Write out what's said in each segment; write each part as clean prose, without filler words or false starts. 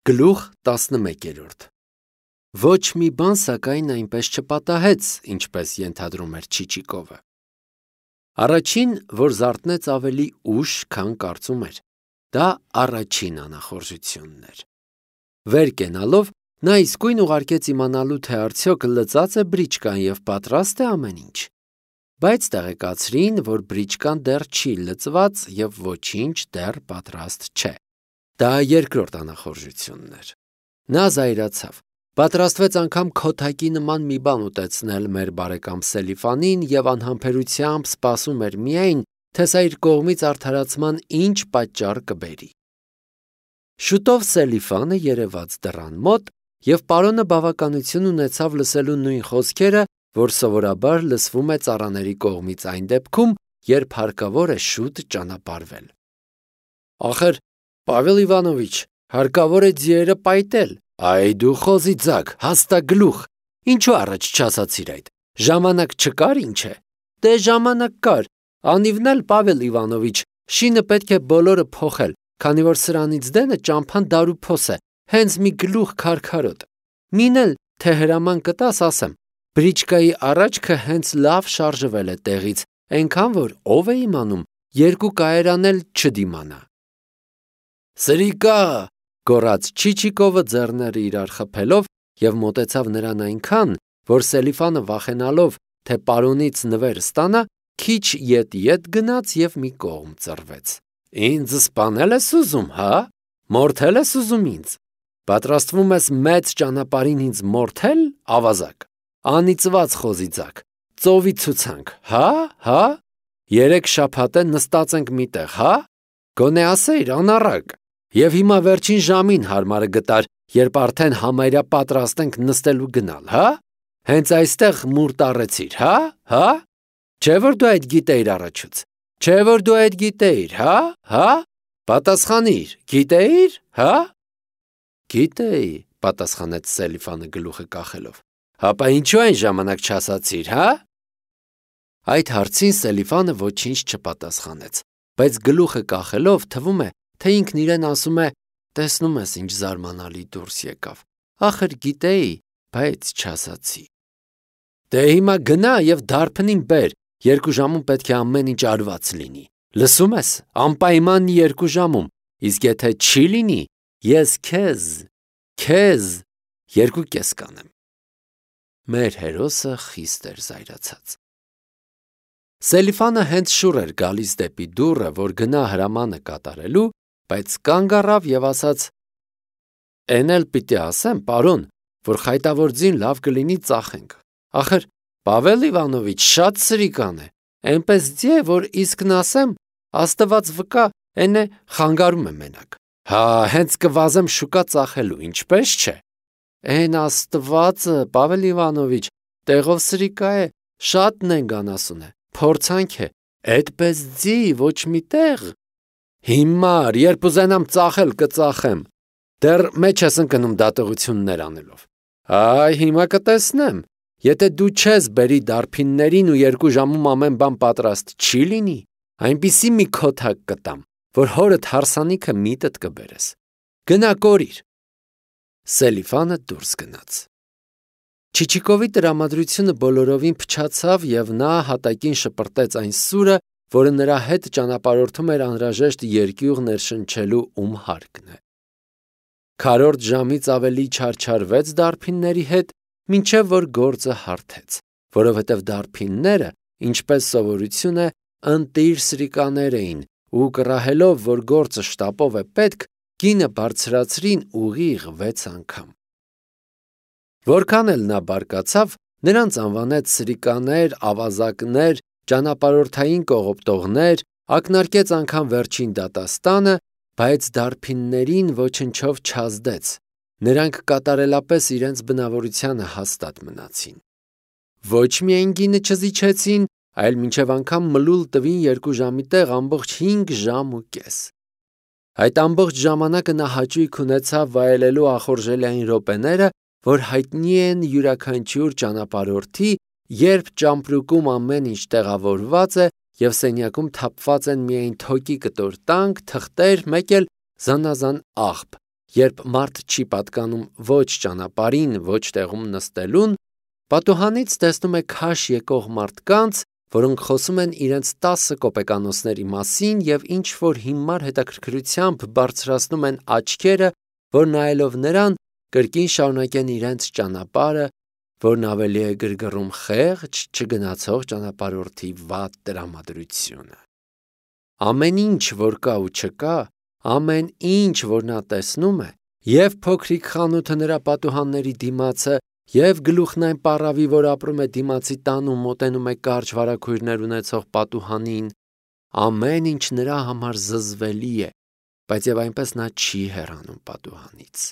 Գլուխ 11 Ոչ մի բան սակայն այնպես չպատահեց, ինչպես ենթադրում էր Չիչիկովը։ Առաջին, որ զարթնեց ավելի ուշ, քան կարծում էր, դա առաջին անախորժությունն էր։ Վեր կենալով, նա իսկույն ուղարկեց իմանալու, թե արդյոք լծած է բրիչկան և պատրաստ է ամեն ինչ։ Բայց տեղեկացրին, որ բրիչկան դեռ չի լծված և ոչինչ դեռ պատրաստ չէ։ Դա երկրորդ անախորժությունն էր։ Նա զայրացավ, պատրաստվեց անգամ քոթակի նման մի բան ուտեցնել մեր բարեկամ Սելիֆանին և անհամբերությամբ սպասում էր միայն, թե սա իր կողմից արդարացման ինչ պատճառ կբերի։ Շուտով Սելիֆանը երևաց դռան մոտ և պարոնը բավականություն ունեցավ լսելու նույն խոսքերը, որ սովորաբար լսվում է ծառաների կողմից այն դեպքում, երբ հարկավոր է շուտ ճանապարհվել։ Ախր, Պավել Իվանովիչ, հարկավոր է ձիերը պայտել։ Այ դու խոզի ձագ, հաստագլուխ, ինչու առաջ չասացիր այդ, ժամանակ չկար ինչ է։ Դե ժամանակ կար, անիվն էլ Պավել Իվանովիչ, շինը պետք է բոլորը փոխել, քանի որ սրանից դենը ճամփան դարուփոս է, հենց մի գլուխ քարքարոտ։ Մին էլ, թե հրաման կտաս, ասեմ, բրիչկայի առաջքը հենց լավ շարժվել է տեղից, այնքան որ ով է իմանում, երկու կայարան էլ չդիմանա։ Սրիկա, գոռաց Չիչիկովը ձեռները իրար խփելով և մոտեցավ նրան այնքան, որ Սելիֆանը վախենալով, թե պարոնից նվեր ստանա, քիչ ետ գնաց և մի կողմ ծռվեց։ Ինձ սպանել ես ուզում, հա՞, մորթել ես ուզում ինձ, պատրաստվում ես մեծ ճանապարհին ինձ մորթել, ավազակ, անիծված խոզի ձագ, ծովի ցուցանք, հա, 3 շաբաթ է նստած ենք միտեղ, հա, գոնե ասեիր անառակ, և հիմա վերջին ժամին հարմարը գտար, երբ արդեն համարյա պատրաստ ենք նստելու գնալ, հա, հենց այստեղ մուր տառեցիր, հա, չէ որ դու այդ գիտեիր առաջուց, չէ որ դու այդ գիտեիր, հա, պատասխանիր, գիտեիր, հա։ Գիտեի, պատասխանեց Սելիֆանը գլուխը կախելով, հապա ինչու այն ժամանակ չասացիր, հա։ Այդ հարցին Սելիֆանը ոչինչ չպատասխանեց, բայց գլուխը կախելով թվում է, թե ինքն իրեն ասում է, տեսնում ես ինչ զարմանալի դուրս եկավ, ախր գիտեի, բայց չասացի։ Դե հիմա գնա և դարբնին բեր, 2 ժամում պետք է ամեն ինչ արված լինի, լսում ես, անպայման 2 ժամում, իսկ եթե չի լինի, ես քեզ 2.5 կանեմ։ Մեր հերոսը խիստ էր զայրացած։ Սելիֆանը հենց շուռ էր գալիս դեպի դուռը, որ գնա հրամանը կատարելու, բայց կանգ առավ և ասաց. Էն էլ պիտի ասեմ, պարոն, որ խայտավոր ձին լավ կլինի ծախենք։ Ախր, Պավել Իվանովիչ շատ սրիկան է, այնպես ձի է, որ իսկն ասեմ, Աստված վկա, էն է խանգարում է մենակ։ Հա, հենց կվազեմ շուկա ծախելու, ինչպես չէ։ Էն Աստվածը, Պավել Իվանովիչ, տեղով սրիկա է, շատ նենգանասուն է, փորձանք է, այդպես ձի, ոչ մի տեղ։ Հիմար, երբ ուզենամ ծախել, կծախեմ, դեռ մեջ ես ընկնում դատողություններ անելով։ Այ, հիմա կտեսնեմ, եթե դու չես բերի դարբիններին ու 2 ժամում ամեն բան պատրաստ չի լինի, այնպիսի մի քոթակ կտամ, որ հորդ հարսանիքը միտդ կբերես։ Գնա կորիր։ Սելիֆանը դուրս գնաց։ Չիչիկովի տրամադրությունը բոլորովին փչացավ և նա հատակին շպրտեց այն սուրը, որը նրա հետ ճանապարհորդում էր անհրաժեշտ երկյուղ ներշնչելու հարկն է։ Քառորդ ժամից ավելի չարչարվեց դարբինների հետ, մինչև որ գործը հարթեց, որովհետև դարբինները, ինչպես սովորություն է, ընտիր սրիկաներ էին ու կռահելով, որ գործը շտապով է պետք, գինը բարձրացրին ուղիղ 6 անգամ։ Որքան էլ նա բարկացավ, նրանց անվանեց սրիկաներ, ավազակներ, ճանապարհորդային կողոպտողներ, ակնարկեց անգամ վերջին դատաստանը, բայց դարբիններին ոչնչով չազդեց, նրանք կատարելապես իրենց բնավորությանը հաստատ մնացին։ Ոչ միայն գինը չզիջեցին, այլ մինչև անգամ մլուլ տվին 2 ժամի տեղ ամբողջ 5 ժամ ու կես։ Այդ ամբողջ ժամանակը նա հաճույք ունեցավ վայելելու ախորժելի րոպեները, որ հայտնի են յուրաքանչյուր ճանապարհորդի, երբ ճամպրուկում ամեն ինչ տեղավորված է և սենյակում թափված են միայն թոկի կտոր տանկ, թղթեր, մեկ էլ զանազան աղբ Երբ մարդ չի պատկանում ոչ ճանապարհին, ոչ տեղում նստելուն, պատուհանից տեսնում է քաշ եկող մարդկանց, որոնք խոսում են իրենց 10 կոպեկանոցների մասին և ինչ-որ հիմար հետաքրքրությամբ բարձրացնում են աչքերը, որ նայելով նրան, կրկին շարունակեն իրենց ճանապարհը, որն ավելի է գրգռում խեղճ, չգնացող ճանապարհորդի վատ տրամադրությունը։ Ամեն ինչ, որ կա ու չկա, ամեն ինչ, որ նա տեսնում է, և փոքրիկ խանութը նրա պատուհանների դիմացը, և գլուխն այն պառավի, որ ապրում է դիմացի տան ու մոտենում է կարճ վարագույրներ ունեցող պատուհանին, ամեն ինչ նրա համար զզվելի է, բայց և այնպես նա չի հեռանում պատուհանից։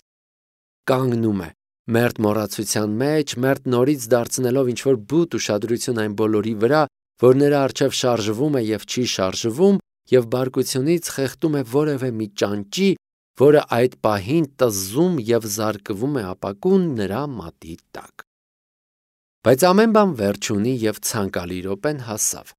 Կանգնում է, մերթ մոռացության մեջ, մերթ նորից դարձնելով ինչ-որ բութ ուշադրություն այն բոլորի վրա, որ նրա առջև շարժվում է և չի շարժվում, և բարկությունից խեղդում է որևէ մի ճանճի, որը այդ պահին տզում և զարկվում է ապակուն նրա մատի տակ։ Բայց ամեն բան վերջ ունի և ցանկալի րոպեն հասավ։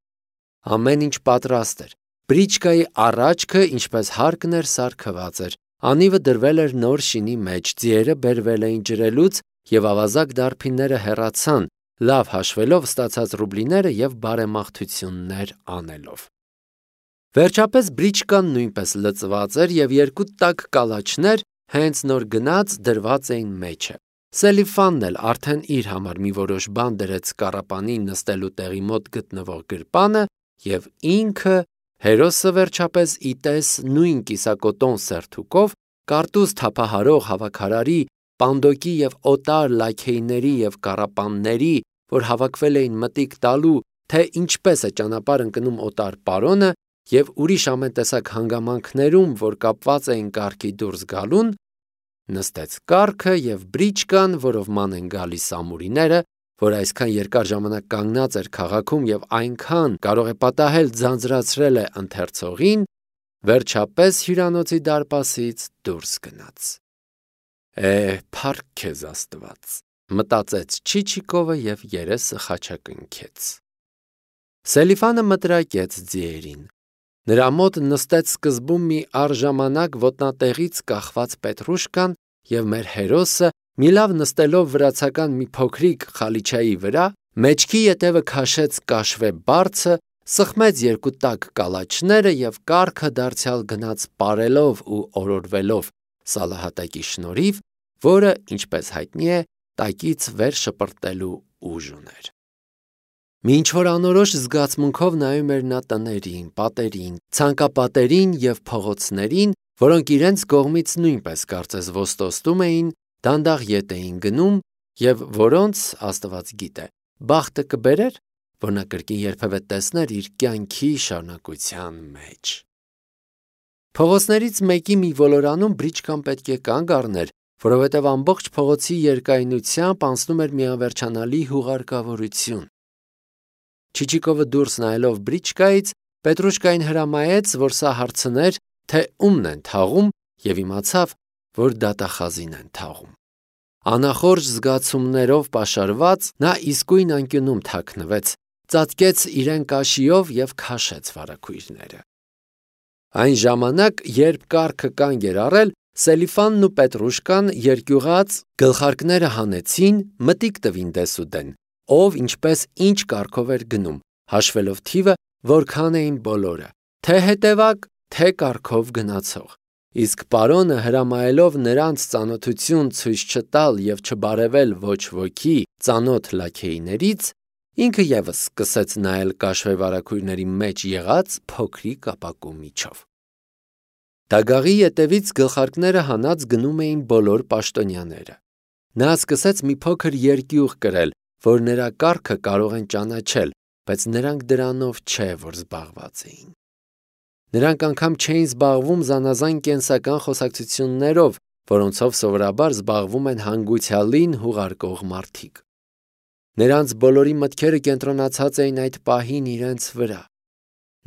Ամեն ինչ պատրաստ էր։ Բրիչկայի առաջքը, ինչպես հարկն էր, սարքված էր։ Անիվը դրվել էր նոր շինի մեջ, ձիերը բերվել էին ջրելուց, և ավազակ դարբինները հեռացան, լավ հաշվելով ստացած ռուբլիները և բարեմաղթություններ անելով։ Վերջապես բրիչկան նույնպես լցված էր, և երկու տաք կալաչներ հենց նոր գնած դրված էին մեջը։ Սելիֆանն էլ արդեն իր համար մի որոշ բան դրեց կառապանին նստելու տեղի մոտ գտնվող գրպանը, և ինքը, հերոսը վերջապես ի տես նույն կիսակոտոն սերթուկով, կարտուզ թափահարող հավաքարարի, պանդոկի և օտար լաքեյների և կառապանների, որ հավաքվել էին մտիկ տալու, թե ինչպես է ճանապարհ ընկնում օտար պարոնը, և ուրիշ ամեն տեսակ հանգամանքներում, որ կապված էին կառքի դուրս գալուն, նստեց կառքը և բրիչկան, որով ման են գալիս ամուրիները, որ այսքան երկար ժամանակ կանգնած էր քաղաքում և այնքան կարող է պատահել ձանձրացրել է ընթերցողին, վերջապես հյուրանոցի դարպասից դուրս գնաց։ Փառք քեզ Աստված, մտածեց Չիչիկովը և երեսը խաչակնքեց։ Սելիֆանը մտրակեց ձիերին։ Նրա մոտ նստեց սկզբում մի առժամանակ ոտնատեղից կախված պետրուշկան, և մեր հերոսը, մի լավ նստելով վրացական մի փոքրիկ խալիչայի վրա, մեջքի ետևը քաշեց կաշվե բարձը, սխմեց երկու տաք կալաչները և կառքը դարձյալ գնաց պարելով ու օրորվելով Սալահատակի շնորհիվ, որը, ինչպես հայտնի է, տակից վեր շպրտելու ուժ ուներ։ Մի ինչ-որ անորոշ զգացմունքով նայում էր նա տներին, պատերին, ցանկապատերին և փողոցներին, որոնք իրենց կողմից նույնպես կարծես ոստոստում էին, դանդաղ ետ էին գնում, և որոնց, Աստված գիտե, բախտը կբերեր, որ նա կրկին երբևէ տեսներ իր կյանքի շարունակության մեջ։ Փողոցներից մեկի մի ոլորանում բրիչկան պետք է կանգ առներ, որովհետև ամբողջ փողոցի երկայնությամբ անցնում էր մի անվերջանալի հուղարկավորություն։ Չիչիկովը դուրս նայելով բրիչկայից, Պետրուշկային հրամայեց, որ սա հարցներ, թե ումն են թաղում, և իմացավ, որ դատախազին են թաղում։ Անախորժ զգացումներով պաշարված, նա իսկույն անկյունում թաքնվեց, ծածկեց իրեն կաշիով և քաշեց վարագույրները։ Այն ժամանակ, երբ կառքը կանգ էր առել, Սելիֆանն ու Պետրուշկան երկյուղած գլխարկները հանեցին, մտիկ տվին դեսուդեն, ով ինչպես ինչ կարգով էր գնում, հաշվելով թիվը, որքան էին բոլորը, թե հետևակ, թե կարգով գնացող։ Իսկ պարոնը հրամայելով նրանց ծանոթություն ցույց չտալ և չբարևել ոչ ոքի ծանոթ լաքեյներից, ինքը ևս սկսեց նայել կաշվե վարագույրների մեջ եղած փոքրիկ ապակու միջով։ Դագաղի ետևից գլխարկները հանած գնում էին բոլոր պաշտոնյաները։ Նա սկսեց մի փոքր երկյուղ կրել, որ նրա կառքը կարող են ճանաչել, բայց նրանք դրանով չէ, որ զբաղված էին։ Նրանք անգամ չէին զբաղվում զանազան կենսական խոսակցություններով, որոնցով սովորաբար զբաղվում են հանգուցյալին հուղարկող մարդիկ։ Նրանց բոլորի մտքերը կենտրոնացած էին այդ պահին իրենց վրա։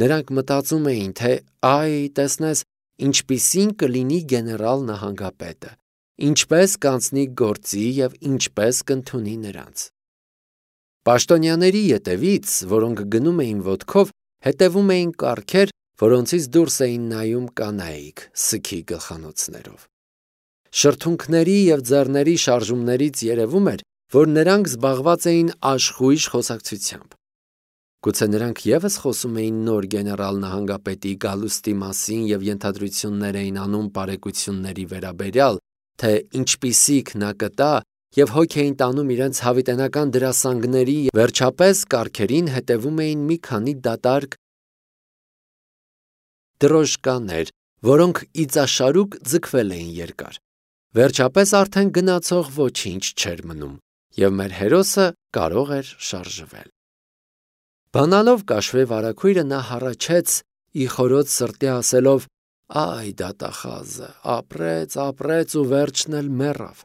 Նրանք մտածում էին, թե այ, տեսնես, ինչպիսին կլինի գեներալ նահանգապետը, ինչպես կանցնի գործի և ինչպես կընդունի նրանց։ Պաշտոնյաների ետևից, որոնք գնում էին ոտքով, հետևում էին կառքեր, որոնցից դուրս էին նայում կանայք սգի գլխանոցներով։ Շրթունքների և ձեռների շարժումներից երևում էր, որ նրանք զբաղված էին աշխույժ խոսակցությամբ։ Գուցե նրանք ևս խոսում էին նոր գեներալ նահանգապետի գալուստի մասին և ենթադրություններ էին անում բարեկությունների վերաբերյալ, թե ինչպիսիք նա կտա և հոգ էին տանում իրենց հավիտենական դրասանգների, վերջապես կառքերին հետևում էին մի քանի դատարկ դրոժկաներ, որոնք իծաշարուկ ձգվել էին երկար։ Վերջապես արդեն գնացող ոչինչ չէր մնում, և մեր հերոսը կարող էր շարժվել։ Բանալով կաշվե վարագույրը նա հառաչեց ի խորոց սրտի ասելով. «Այ դատախազը, ապրեց ու վերջն էլ մեռավ»։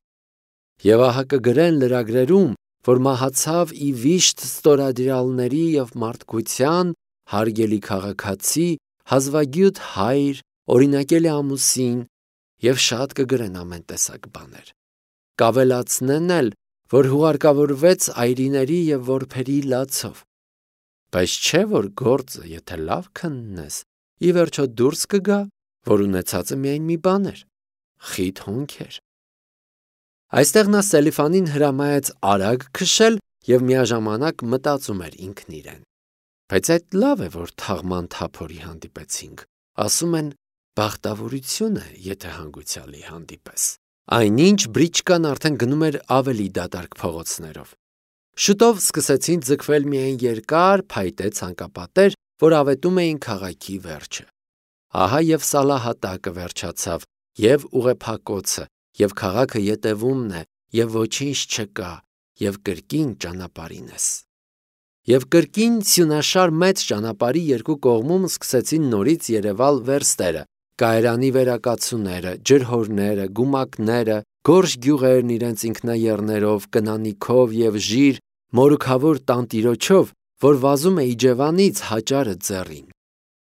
Եվ ահա կգրեն լրագրերում, որ մահացավ ի վիշտ ստորադիրալների և մարդկության, հարգելի քաղաքացի, հազվագյուտ հայր, օրինակելի ամուսին, և շատ կգրեն ամեն տեսակ բաներ։ Կավելացնեն էլ, որ հուղարկավորվեց այրիների և որբերի լացով։ Բայց չէ՞ որ գործը, եթե լավ քննես, ի վերջո դուրս կգա, որ ունեցածը միայն մի բան էր՝ խիտ հոնքեր։ Այստեղ նա Սելիֆանին հրամայեց արագ քշել և միաժամանակ մտածում էր ինքն իրեն. բայց այդ լավ է, որ թաղման թափորի հանդիպեցինք, ասում են, բախտավորություն է, եթե հանգուցյալի հանդիպես։ Այնինչ բրիչկան արդեն գնում էր ավելի դատարկ փողոցներով։ Շուտով սկսեցին ձգվել միայն երկար փայտե ցանկապատեր, որ ավետում էին քաղաքի վերջը։ Ահա և Սալահատակը վերջացավ, և ուղեփակոցը, և քաղաքը ետևումն է, և ոչինչ չկա, և կրկին ճանապարհին ես։ Եվ կրկին սյունաշար մեծ ճանապարհի երկու կողմում սկսեցին նորից երևալ վերստերը, կայարանի վերակացուները, ջրհորները, գումակները, գորշ գյուղերն իրենց ինքնաեռներով, կնանիքով և ժիր, մորուքավոր տանտիրոջով, որ վազում է Իջևանից Հաճարը ձեռին,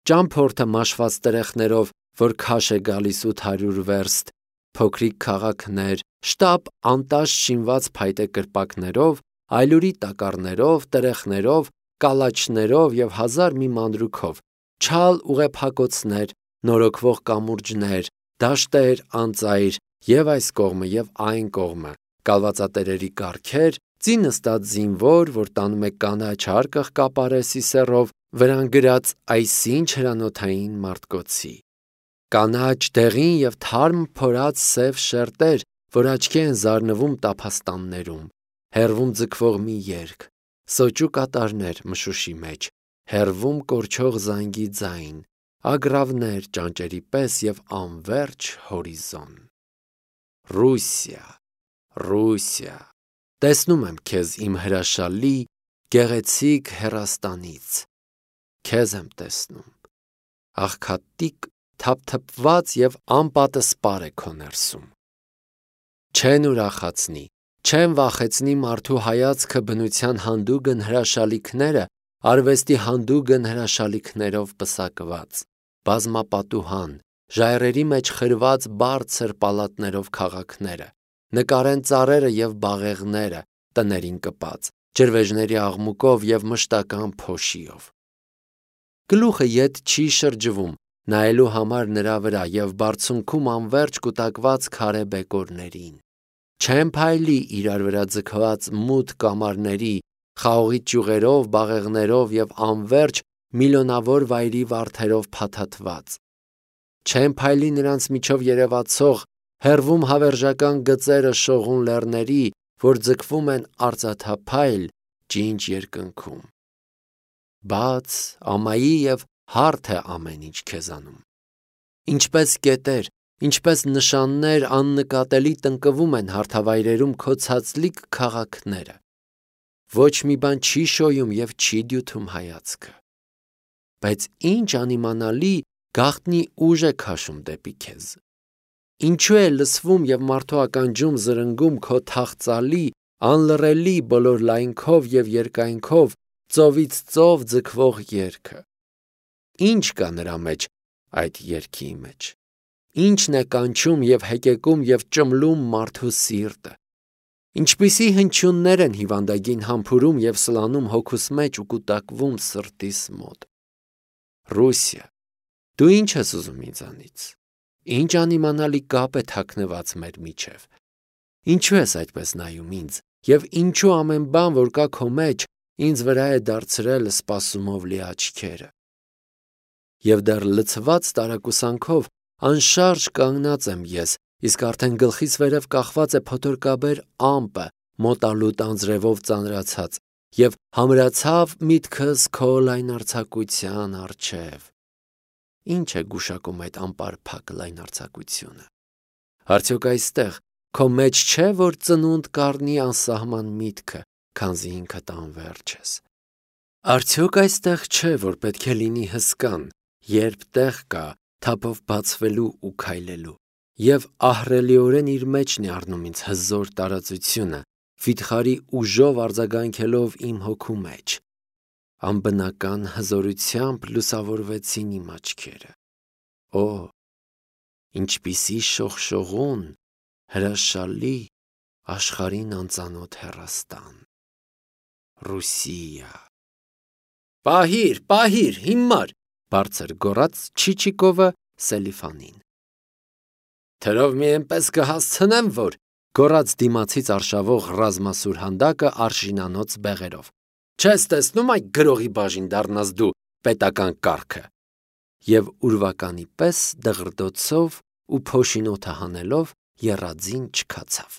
ճամփորդը մաշված տրեխներով, որ քաշ է գալիս 800 վերստ, փոքրիկ քաղաքներ, շտապ անտաշ շինված փայտե կրպակներով, այլուրի տակառներով, տրեխներով, կալաչներով և հազար մի մանրուքով, չալ ուղեփակոցներ, նորոգվող կամուրջներ, դաշտեր անծայր և այս կողմը և այն կողմը, կալվածատերերի կառքեր, ծի նստած զինվոր, որ տանում է կանաչ հարկը կապարե սիսեռով, վրան գրած այսինչ հրանոթային մարտկոցի, կանաչ դեղին և թարմ փորած սև շերտեր, որ աչքի են զարնվում տափաստաններում, հեռվում ձգվող մի երգ, սոճու կատարներ մշուշի մեջ, հեռվում կորչող զանգի ձայն, ագռավներ ճանճերի պես և անվերջ հորիզոն։ Ռուսիա, Ռուսիա, տեսնում եմ քեզ իմ հրաշալի, գեղեցիկ հեռաստանից, քեզ եմ տեսնում, աղքատիկ, թափթփված և անպատսպար է քո ներսում։ Չեն ուրախացնի, չեն վախեցնի մարդու հայացքը բնության հանդուգն հրաշալիքները, արվեստի հանդուգն հրաշալիքներով պսակված, բազմապատուհան, ժայռերի մեջ խրված բարձր պալատներով քաղաքները, նկարեն ծառերը և բաղեղները, տներին կպած, ջրվեժների աղմուկով և մշտական փոշիով։ Գլուխը ետ չի շրջվում, նայելու համար նրա վրա և բարձունքում անվերջ կուտակված քարե բեկորներին։ Չեն փայլի իրար վրա ձգված մութ կամարների, խաղողի ճյուղերով, բաղեղներով և անվերջ միլիոնավոր վայրի վարդերով փաթաթված։ Չեն փայլի նրանց միջով երևացող հեռվում հավերժական գծերը շողուն լեռների, որ ձգվում են արծաթափայլ ջինջ երկնքում։ Բաց, ամայի և հարթ է ամեն ինչ քեզանում։ Ինչպես կետեր, ինչպես նշաններ աննկատելի տնկվում են հարթավայրերում քո ցածլիկ քաղաքները։ Ոչ մի բան չի շոյում և չի դյութում հայացքը։ Բայց ինչ անիմանալի գաղտնի ուժ է քաշում դեպի քեզ։ Ինչու է լսվում և մարդու ականջում զրնգում քո թախծալի, անլռելի բոլոր լայնքով և երկայնքով ծովից ծով ձգվող երգը։ Ինչ կա նրա մեջ, այդ երգի մեջ։ Ինչն է կանչում և հեկեկում և ճմլում մարդու սիրտը։ Ինչպիսի հնչյուններ են հիվանդագին համբուրում և սլանում հոգուս մեջ ու կուտակվում սրտիս մոտ։ Ռուսիա, դու ի՞նչ ես ուզում ինձանից։ Ինչ անիմանալի կապ է թաքնված մեր միջև։ Ինչու ես այդպես նայում ինձ, եւ ինչու ամեն բան, որ կա քո մեջ, ինձ վրա է դարձրել սպասումով լի աչքերը։ Եվ դեռ լցված տարակուսանքով անշարժ կանգնած եմ ես, իսկ արդեն գլխից վերև կախված է փոթորկաբեր ամպը, մոտալուտ անձրևով ծանրացած, եւ համրացավ միտքս քո լայնարձակության առջև։ Ինչ է գուշակում այդ անպարփակ լայնարձակությունը։ Արդյոք այստեղ քո մեջ չէ, որ ծնունդ կառնի անսահման միտքը, քանզի ինքդ անվերջ ես։ Արդյոք այստեղ չէ, որ պետք է լինի հսկան, երբ տեղ կա թափով բացվելու ու քայլելու, եւ ահռելիորեն իր մեջն է առնում ինձ հզոր տարածությունը, վիթխարի ուժով արձագանքելով իմ հոգու մեջ։ Անբնական հզորությամբ լուսավորվեցին իմ աչքերը։ Օ, ինչպիսի շողշողուն, հրաշալի, աշխարհին անծանոթ հեռաստան։ Ռուսիա։ Պահիր, հիմար, բարձր գոռաց Չիչիկովը Սելիֆանին։ Թրով մի այնպես կհասցնեմ, որ գոռաց դիմացից արշավող ռազմասուր հանդակը արշինանոց բեղերով։ Չես տեսնում այդ գրողի բաժին դառնաս դու պետական կարգը։ Եվ ուրվականի պես դղրդոցով ու փոշին օդը հանելով եռածին չքացավ։